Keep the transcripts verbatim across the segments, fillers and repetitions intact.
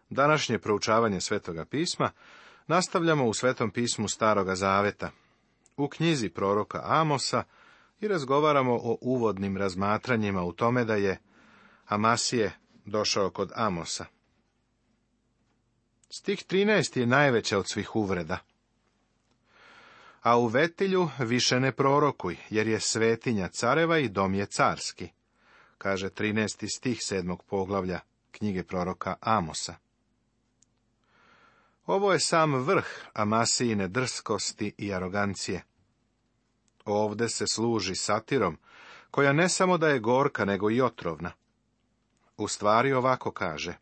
Današnje proučavanje Svetoga pisma nastavljamo u Svetom pismu Staroga zaveta, u knjizi proroka Amosa, i razgovaramo o uvodnim razmatranjima u tome da je Amasije došao kod Amosa. Stih trinaest je najveća od svih uvreda. A u Vetilju više ne prorokuj, jer je svetinja careva i dom je carski, kaže trinaesti stih sedmog poglavlja knjige proroka Amosa. Ovo je sam vrh Amasijine drskosti i arogancije. Ovde se služi satirom, koja ne samo da je gorka, nego i otrovna. U stvari ovako kaže: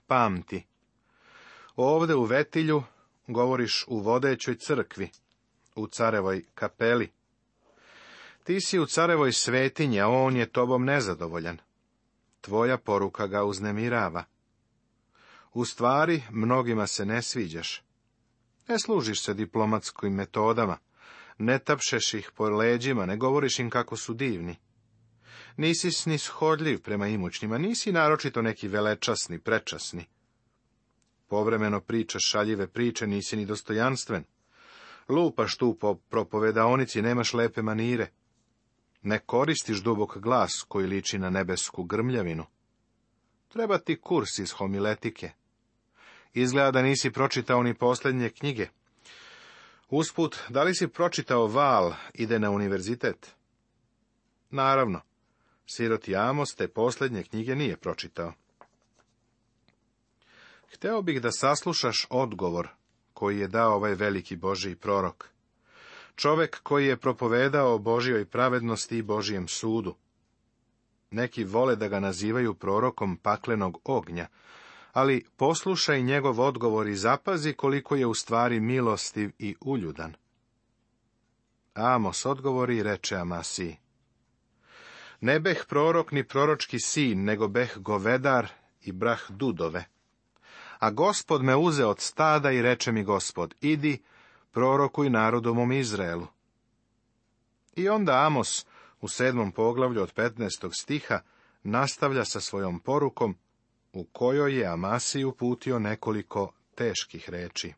pamti, ovde u Vetilju govoriš u vodećoj crkvi, u carevoj kapeli. Ti si u carevoj svetinji, a on je tobom nezadovoljan. Tvoja poruka ga uznemirava. U stvari, mnogima se ne sviđaš. Ne služiš se diplomatskim metodama, ne tapšeš ih po leđima, ne govoriš im kako su divni. Nisi snishodljiv prema imućnima, nisi naročito neki velečasni, prečasni. Povremeno pričaš šaljive priče, nisi ni dostojanstven. Lupaš tu po propovedaonici, nemaš lepe manire. Ne koristiš dubok glas koji liči na nebesku grmljavinu. Treba ti kurs iz homiletike. Izgleda da nisi pročitao ni posljednje knjige. Usput, da li si pročitao Val ide na univerzitet? Naravno, siroti Amos te posljednje knjige nije pročitao. Hteo bih da saslušaš odgovor koji je dao ovaj veliki Božji prorok. Čovek koji je propovedao o Božjoj pravednosti i Božjem sudu. Neki vole da ga nazivaju prorokom paklenog ognja, ali poslušaj njegov odgovor i zapazi koliko je u stvari milostiv i uljudan. Amos odgovori i reče Amasiji: ne beh prorok ni proročki sin, nego beh govedar i brah dudove. A Gospod me uze od stada i reče mi Gospod: idi, prorokuj narodu mom Izraelu. I onda Amos u sedmom poglavlju od petnaestog stiha nastavlja sa svojom porukom, u kojoj je Amasiji uputio nekoliko teških reči.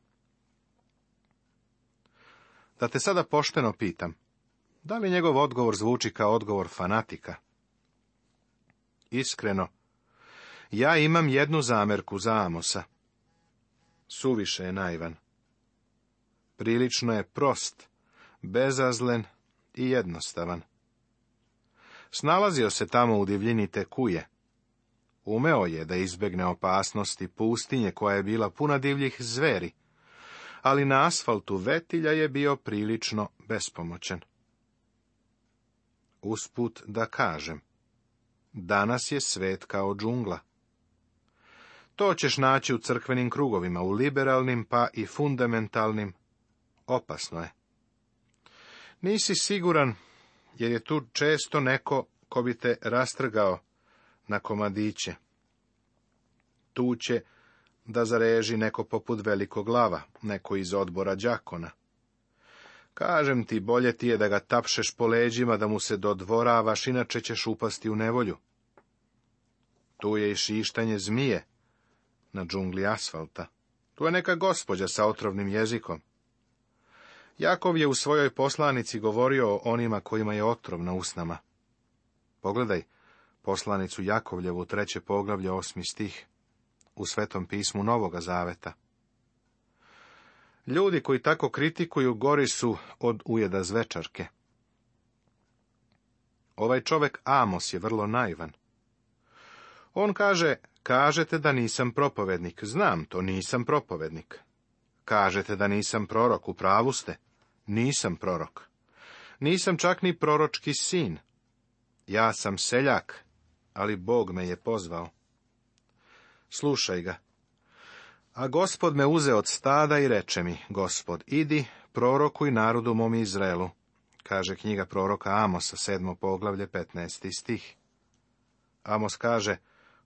Da te sada pošteno pitam, da li njegov odgovor zvuči kao odgovor fanatika? Iskreno, ja imam jednu zamerku za Amosa. Suviše je naivan. Prilično je prost, bezazlen i jednostavan. Snalazio se tamo u divljini te kuje. Umeo je da izbegne opasnosti pustinje koja je bila puna divljih zveri, ali na asfaltu Vetilja je bio prilično bespomoćan. Usput da kažem, danas je svet kao džungla. To ćeš naći u crkvenim krugovima, u liberalnim pa i fundamentalnim. Opasno je. Nisi siguran, jer je tu često neko ko bi te rastrgao na komadiće. Tu će da zareži neko poput velikog lava, neko iz odbora đakona. Kažem ti, bolje ti je da ga tapšeš po leđima, da mu se dodvoravaš, inače ćeš upasti u nevolju. Tu je i šištanje zmije na džungli asfalta. Tu je neka gospođa sa otrovnim jezikom. Jakov je u svojoj poslanici govorio o onima kojima je otrov na usnama. Pogledaj poslanicu Jakovljevu, treće poglavlje, osmi stih, u Svetom pismu Novoga zaveta. Ljudi koji tako kritikuju gori su od ujeda zvečarke. Ovaj čovek Amos je vrlo naivan. On kaže: kažete da nisam propovednik. Znam to, nisam propovednik. Kažete da nisam prorok, u pravu ste. Nisam prorok. Nisam čak ni proročki sin. Ja sam seljak, ali Bog me je pozvao. Slušaj ga. A Gospod me uze od stada i reče mi: Gospod, idi, prorokuj narodu mom Izraelu, kaže knjiga proroka Amosa, sedmo poglavlje, petnaesti stih. Amos kaže: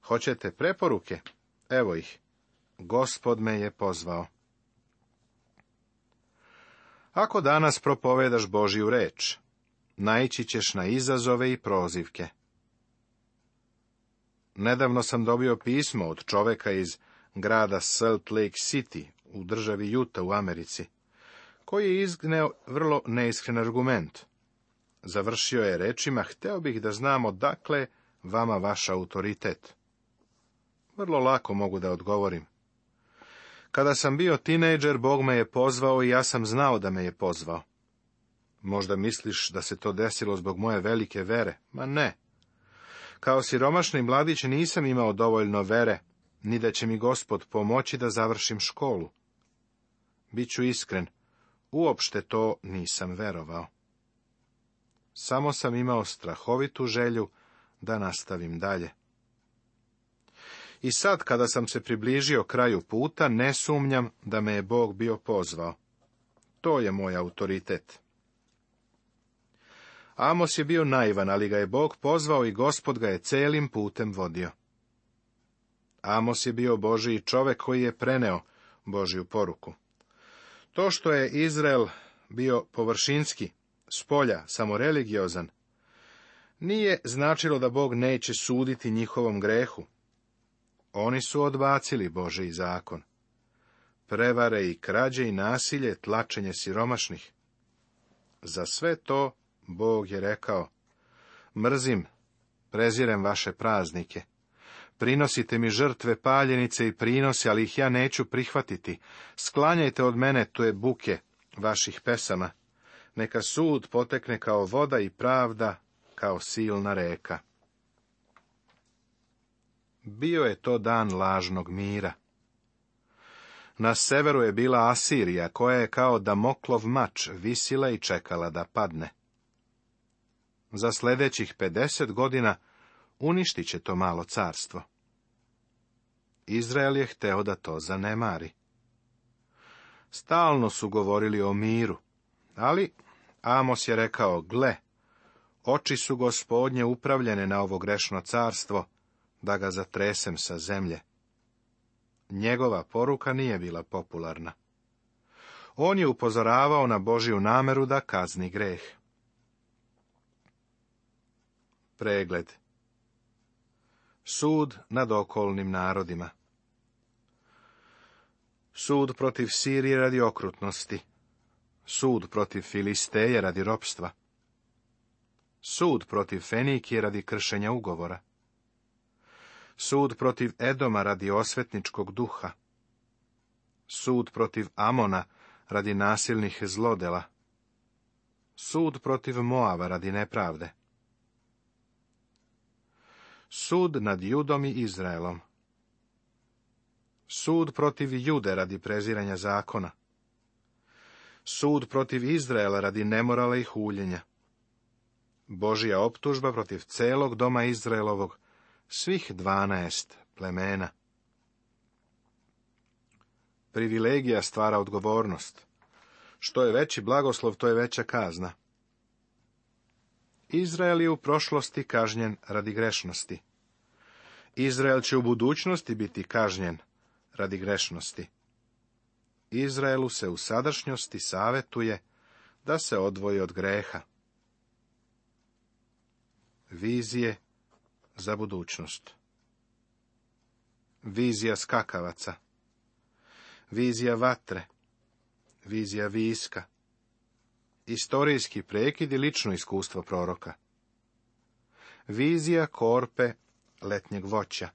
hoćete preporuke? Evo ih. Gospod me je pozvao. Ako danas propovedaš Božju reč, naići ćeš na izazove i prozivke. Nedavno sam dobio pismo od čoveka iz grada Salt Lake City u državi Utah u Americi, koji je izneo vrlo neiskren argument. Završio je rečima: hteo bih da znam odakle vama vaš autoritet. Vrlo lako mogu da odgovorim. Kada sam bio tinejdžer, Bog me je pozvao i ja sam znao da me je pozvao. Možda misliš da se to desilo zbog moje velike vere? Ma ne. Kao siromašni mladić nisam imao dovoljno vere, ni da će mi Gospod pomoći da završim školu. Biću iskren, uopšte to nisam verovao. Samo sam imao strahovitu želju da nastavim dalje. I sad, kada sam se približio kraju puta, ne sumnjam da me je Bog bio pozvao. To je moj autoritet. Amos je bio naivan, ali ga je Bog pozvao i Gospod ga je celim putem vodio. Amos je bio Božiji čovek koji je preneo Božju poruku. To što je Izrael bio površinski, spolja, samoreligiozan, nije značilo da Bog neće suditi njihovom grehu. Oni su odbacili Božji zakon. Prevare i krađe i nasilje, tlačenje siromašnih. Za sve to Bog je rekao: mrzim, prezirem vaše praznike. Prinosite mi žrtve, paljenice i prinose, ali ih ja neću prihvatiti. Sklanjajte od mene te buke vaših pesama. Neka sud potekne kao voda i pravda kao silna reka. Bio je to dan lažnog mira. Na severu je bila Asirija, koja je kao Damoklov mač visila i čekala da padne. Za sljedećih pedeset godina uništit će to malo carstvo. Izrael je hteo da to zanemari. Stalno su govorili o miru, ali Amos je rekao: gle, oči su Gospodnje upravljene na ovo grešno carstvo, da ga zatresem sa zemlje. Njegova poruka nije bila popularna. On je upozoravao na Božju nameru da kazni greh. Pregled. Sud nad okolnim narodima. Sud protiv Sirije radi okrutnosti. Sud protiv Filisteje radi ropstva. Sud protiv Fenikije radi kršenja ugovora. Sud protiv Edoma radi osvetničkog duha. Sud protiv Amona radi nasilnih zlodela. Sud protiv Moava radi nepravde. Sud nad Judom i Izraelom. Sud protiv Jude radi preziranja zakona. Sud protiv Izraela radi nemorala i huljenja. Božja optužba protiv celog doma Izraelovog, svih dvanaest plemena. Privilegija stvara odgovornost. Što je veći blagoslov, to je veća kazna. Izrael je u prošlosti kažnjen radi grešnosti. Izrael će u budućnosti biti kažnjen radi grešnosti. Izraelu se u sadašnjosti savetuje da se odvoji od greha. Vizije za budućnost. Vizija skakavaca. Vizija vatre. Vizija viska. Istorijski prekid i lično iskustvo proroka. Vizija korpe letnjeg voća.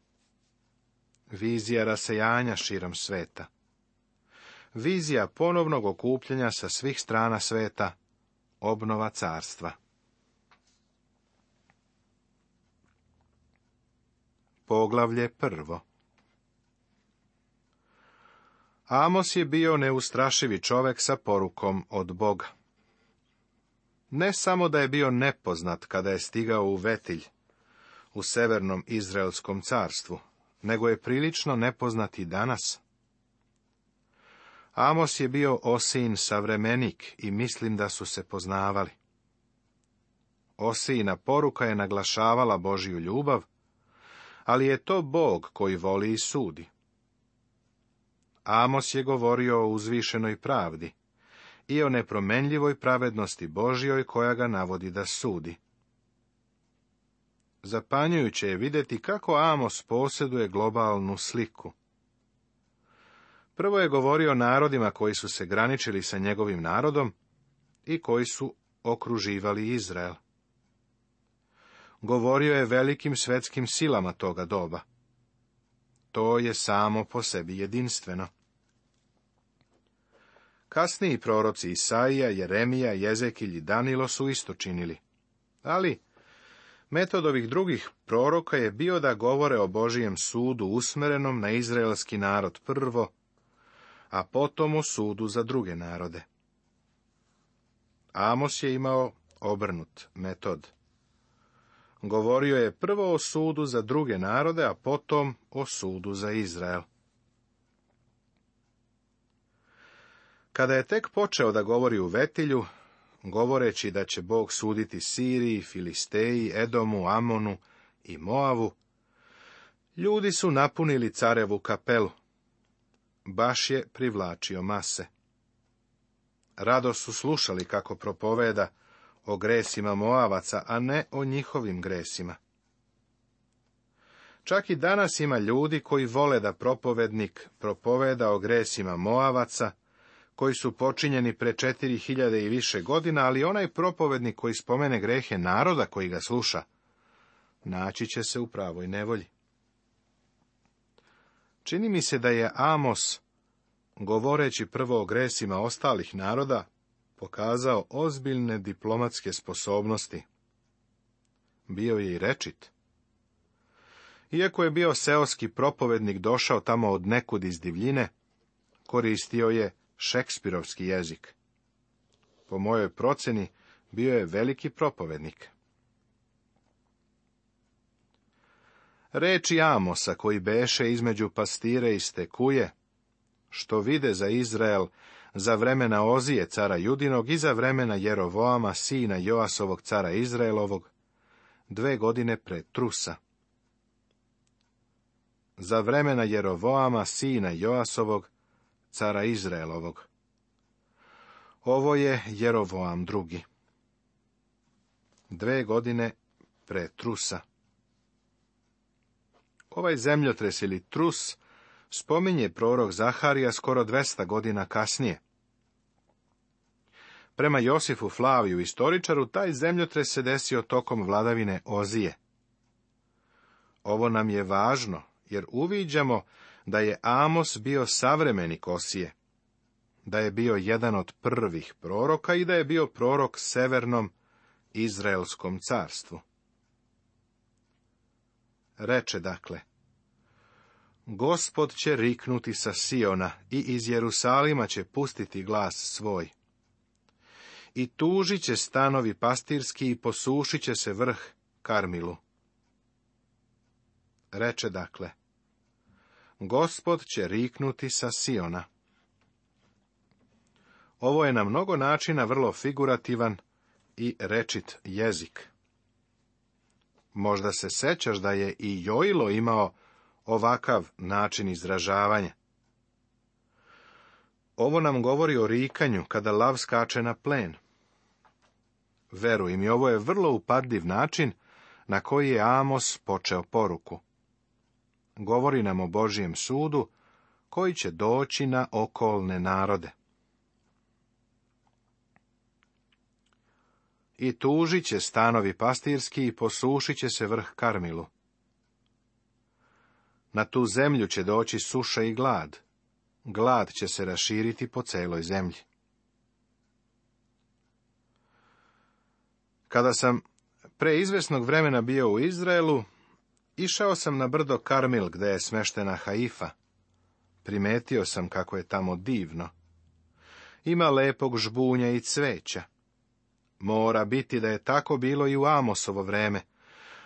Vizija rasejanja širom sveta. Vizija ponovnog okupljanja sa svih strana sveta, obnova carstva. Poglavlje prvo. Amos je bio neustrašivi čovek sa porukom od Boga. Ne samo da je bio nepoznat kada je stigao u Vetilj, u severnom Izraelskom carstvu, nego je prilično nepoznat i danas. Amos je bio Osijin savremenik i mislim da su se poznavali. Osijina poruka je naglašavala Božju ljubav, ali je to Bog koji voli i sudi. Amos je govorio o uzvišenoj pravdi i o nepromenljivoj pravednosti Božjoj koja ga navodi da sudi. Zapanjujuće je vidjeti kako Amos posjeduje globalnu sliku. Prvo je govorio o narodima koji su se graničili sa njegovim narodom i koji su okruživali Izrael. Govorio je velikim svetskim silama toga doba. To je samo po sebi jedinstveno. Kasniji proroci Isaija, Jeremija, Jezekilj i Danilo su isto činili. Ali metod ovih drugih proroka je bio da govore o Božijem sudu usmerenom na izraelski narod prvo, a potom o sudu za druge narode. Amos je imao obrnut metod. Govorio je prvo o sudu za druge narode, a potom o sudu za Izrael. Kada je tek počeo da govori u Vetilju, govoreći da će Bog suditi Siriji, Filisteji, Edomu, Amonu i Moavu, ljudi su napunili carevu kapelu. Baš je privlačio mase. Rado su slušali kako propoveda o gresima Moavaca, a ne o njihovim gresima. Čak i danas ima ljudi koji vole da propovednik propoveda o gresima Moavaca, koji su počinjeni pre četiri hiljade i više godina, ali onaj propovednik koji spomene grehe naroda koji ga sluša, naći će se u pravoj nevolji. Čini mi se da je Amos, govoreći prvo o gresima ostalih naroda, pokazao ozbiljne diplomatske sposobnosti. Bio je i rečit. Iako je bio seoski propovednik došao tamo od nekud iz divljine, koristio je šekspirovski jezik. Po mojoj proceni, bio je veliki propovednik. Reči Amosa, koji beše između pastire i stekuje, što vide za Izrael za vremena Ozije, cara Judinog, i za vremena Jerovoama, sina Joasovog, cara Izraelovog, dve godine pre Trusa. Za vremena Jerovoama, sina Joasovog, cara Izraelovog. Ovo je Jerovoam drugi. Dve godine pre Trusa. Ovaj zemljotres ili Trus spominje prorok Zaharija skoro dvesta godina kasnije. Prema Josifu Flaviju, istoričaru, taj zemljotres se desio tokom vladavine Ozije. Ovo nam je važno, jer uviđamo da je Amos bio savremenik Osije, da je bio jedan od prvih proroka i da je bio prorok severnom Izraelskom carstvu. Reče dakle, Gospod će riknuti sa Siona i iz Jerusalima će pustiti glas svoj. I tužit će stanovi pastirski i posušit će se vrh Karmilu. Reče dakle, Gospod će riknuti sa Siona. Ovo je na mnogo načina vrlo figurativan i rečit jezik. Možda se sećaš da je i Joilo imao ovakav način izražavanja. Ovo nam govori o rikanju kada lav skače na plen. Veruj mi, ovo je vrlo upadljiv način na koji je Amos počeo poruku. Govori nam o Božijem sudu koji će doći na okolne narode. I tužit će stanovi pastirski i posušit će se vrh Karmilu. Na tu zemlju će doći suša i glad. Glad će se raširiti po celoj zemlji. Kada sam pre izvesnog vremena bio u Izraelu, išao sam na brdo Karmil, gde je smeštena Haifa. Primetio sam kako je tamo divno. Ima lepog žbunja i cveća. Mora biti da je tako bilo i u Amosovo vreme,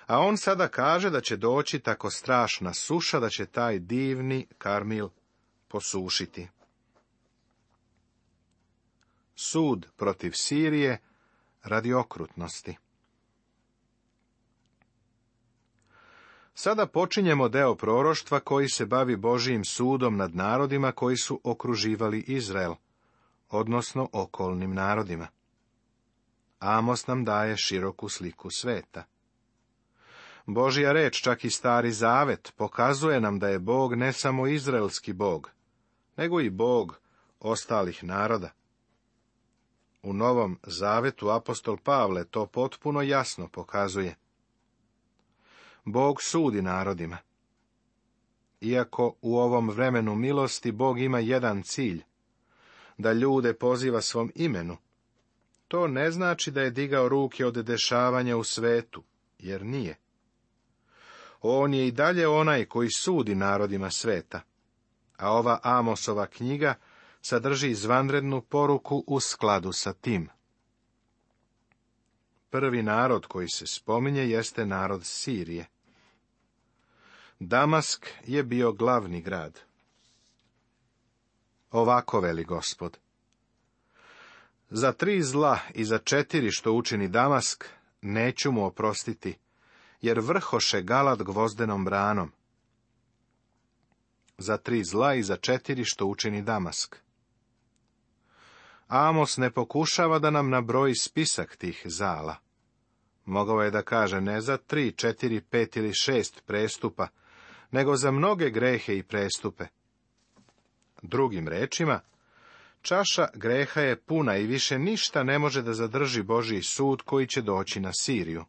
a on sada kaže da će doći tako strašna suša da će taj divni Karmil posušiti. Sud protiv Sirije radi okrutnosti. Sada počinjemo deo proroštva koji se bavi Božijim sudom nad narodima koji su okruživali Izrael, odnosno okolnim narodima. Amos nam daje široku sliku sveta. Božja reč, čak i Stari Zavet, pokazuje nam da je Bog ne samo izraelski Bog, nego i Bog ostalih naroda. U Novom Zavetu apostol Pavle to potpuno jasno pokazuje. Bog sudi narodima. Iako u ovom vremenu milosti Bog ima jedan cilj, da ljude poziva svom imenu, to ne znači da je digao ruke od dešavanja u svetu, jer nije. On je i dalje onaj koji sudi narodima sveta, a ova Amosova knjiga sadrži izvanrednu poruku u skladu sa tim. Prvi narod koji se spominje jeste narod Sirije. Damask je bio glavni grad. Ovako veli Gospod: za tri zla i za četiri što učini Damask, neću mu oprostiti, jer vrhoše Galat gvozdenom branom. Za tri zla i za četiri što učini Damask. Amos ne pokušava da nam nabroji spisak tih zala. Mogao je da kaže ne za tri, četiri, pet ili šest prestupa, nego za mnoge grehe i prestupe. Drugim rečima, čaša greha je puna i više ništa ne može da zadrži Božji sud koji će doći na Siriju.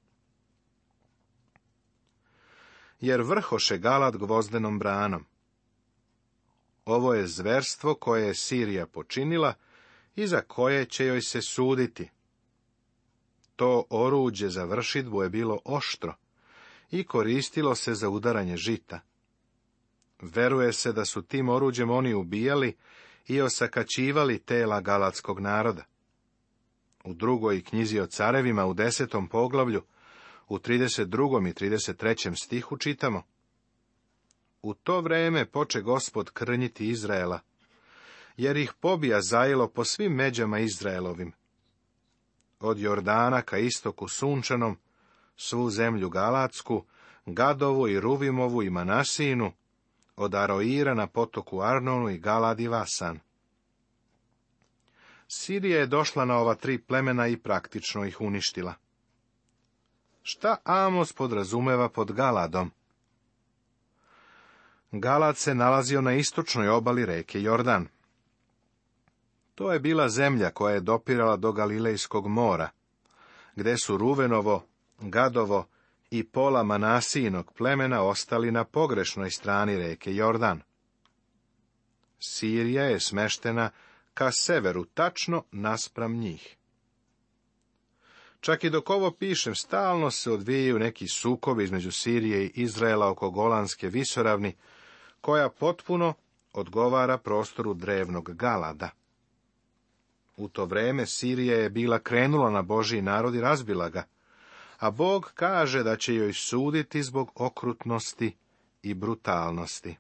Jer vrhoše Galat gvozdenom branom. Ovo je zverstvo koje je Sirija počinila i za koje će joj se suditi. To oruđe za vršidbu je bilo oštro i koristilo se za udaranje žita. Veruje se da su tim oruđem oni ubijali i osakaćivali tela galatskog naroda. U drugoj knjizi o carevima u desetom poglavlju, u trideset drugom i trideset trećem stihu čitamo: u to vreme poče Gospod krnjiti Izraela, jer ih pobija zajelo po svim međama Izraelovim. Od Jordana ka istoku sunčanom, svu zemlju Galatsku, Gadovu i Ruvimovu i Manasinu, od Aroira na potoku Arnonu i Galad i Vasan. Sirija je došla na ova tri plemena i praktično ih uništila. Šta Amos podrazumeva pod Galadom? Galad se nalazio na istočnoj obali reke Jordan. To je bila zemlja koja je dopirala do Galilejskog mora, gde su Ruvenovo, Gadovo i pola Manasijinog plemena ostali na pogrešnoj strani reke Jordan. Sirija je smeštena ka severu, tačno naspram njih. Čak i dok ovo pišem, stalno se odvijaju neki sukobi između Sirije i Izraela oko Golanske visoravni, koja potpuno odgovara prostoru drevnog Galada. U to vreme Sirija je bila krenula na Božji narod i razbila ga, a Bog kaže da će joj suditi zbog okrutnosti i brutalnosti.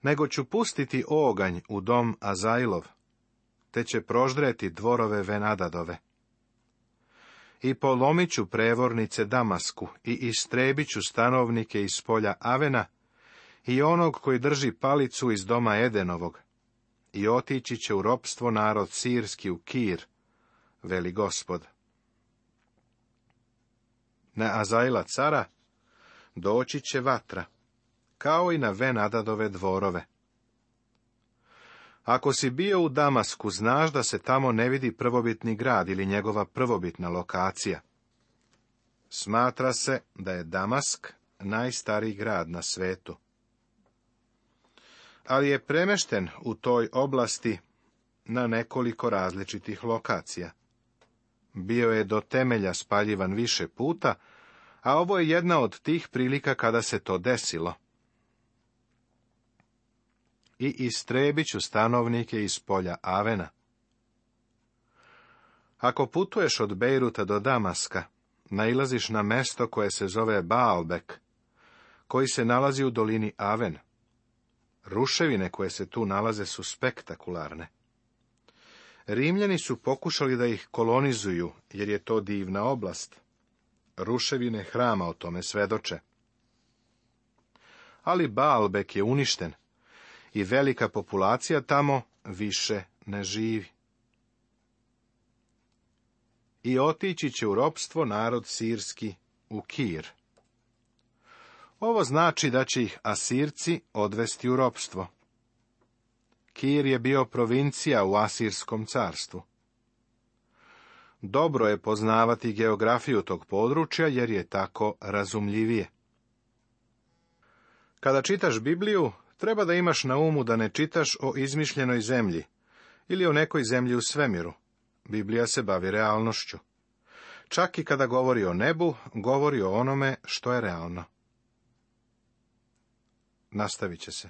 Nego ću pustiti oganj u dom Azajlov, te će proždreti dvorove Venadadove. I polomit ću prevornice Damasku i istrebit ću stanovnike iz polja Avena i onog koji drži palicu iz doma Edenovog, i otići će u ropstvo narod sirski u Kir, veli Gospod. Na Azajla cara doći će vatra, kao i na Venadadove dvorove. Ako si bio u Damasku, znaš da se tamo ne vidi prvobitni grad ili njegova prvobitna lokacija. Smatra se da je Damask najstariji grad na svetu. Ali je premešten u toj oblasti na nekoliko različitih lokacija. Bio je do temelja spaljivan više puta, a ovo je jedna od tih prilika kada se to desilo. I istrebit ću stanovnike iz polja Avena. Ako putuješ od Bejruta do Damaska, nailaziš na mesto koje se zove Baalbek, koji se nalazi u dolini Aven. Ruševine koje se tu nalaze su spektakularne. Rimljani su pokušali da ih kolonizuju, jer je to divna oblast. Ruševine hrama o tome svedoče. Ali Baalbek je uništen i velika populacija tamo više ne živi. i otići će u ropstvo narod sirski u Kir. Ovo znači da će ih Asirci odvesti u ropstvo. Kir je bio provincija u Asirskom carstvu. Dobro je poznavati geografiju tog područja, jer je tako razumljivije. Kada čitaš Bibliju, treba da imaš na umu da ne čitaš o izmišljenoj zemlji ili o nekoj zemlji u svemiru. Biblija se bavi realnošću. Čak i kada govori o nebu, govori o onome što je realno. Nastavit će se.